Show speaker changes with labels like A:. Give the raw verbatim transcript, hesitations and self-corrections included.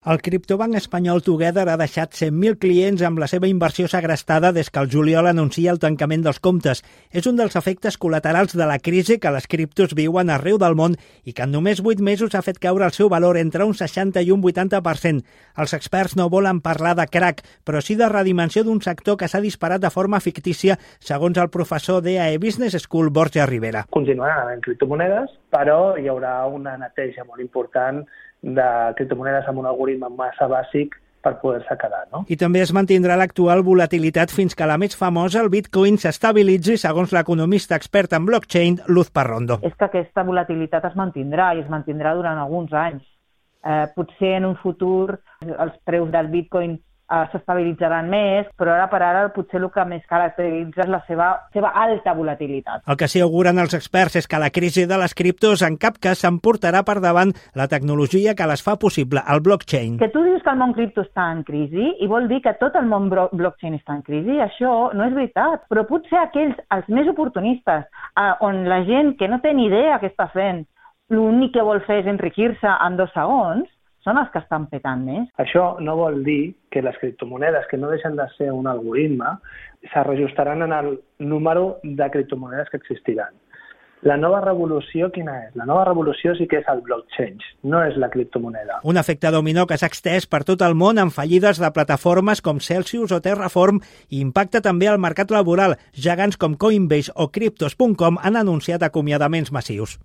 A: El criptobanc espanyol Together ha deixat cent mil clients amb la seva inversió segrestada des que el juliol anuncia el tancament dels comptes. És un dels efectes col·laterals de la crisi que les criptos viuen arreu del món i que en només vuit mesos ha fet caure el seu valor entre un seixanta i un vuitanta per cent. Els experts no volen parlar de crac, però sí de redimensió d'un sector que s'ha disparat de forma fictícia, segons el professor d'E A E Business School, Borja Rivera.
B: Continuaran havent criptomonedes, però hi haurà una neteja molt important de criptomonedes amb un algoritme massa bàsic per poder-se quedar, no?
A: I també es mantindrà l'actual volatilitat fins que la més famosa, el Bitcoin, s'estabilitzi, segons l'economista expert en blockchain, Luz Parrondo.
C: És que aquesta volatilitat es mantindrà i es mantindrà durant alguns anys. Eh, potser en un futur els preus del Bitcoin eh, s'estabilitzaran més, però ara per ara potser el que més caracteritza és la seva, seva alta volatilitat.
A: El que sí auguren els experts és que la crisi de les criptos en cap cas s'emportarà per davant la tecnologia que les fa possible, el blockchain.
C: Que tu dius que el món cripto està en crisi i vol dir que tot el món blockchain està en crisi, això no és veritat, però potser aquells, els més oportunistes, eh, on la gent que no té ni idea què està fent, l'únic que vol fer és enriquir-se en dos segons, són els que estan petant més.
B: Això no vol dir que les criptomonedes, que no deixen de ser un algoritme, se reajustaran en el número de criptomonedes que existiran. La nova revolució, quina és? La nova revolució sí que és el blockchain, no és la criptomoneda.
A: Un efecte dominó que s'ha extès per tot el món amb fallides de plataformes com Celsius o Terraform i impacta també al mercat laboral. Gegants com Coinbase o Cryptos punt com han anunciat acomiadaments massius.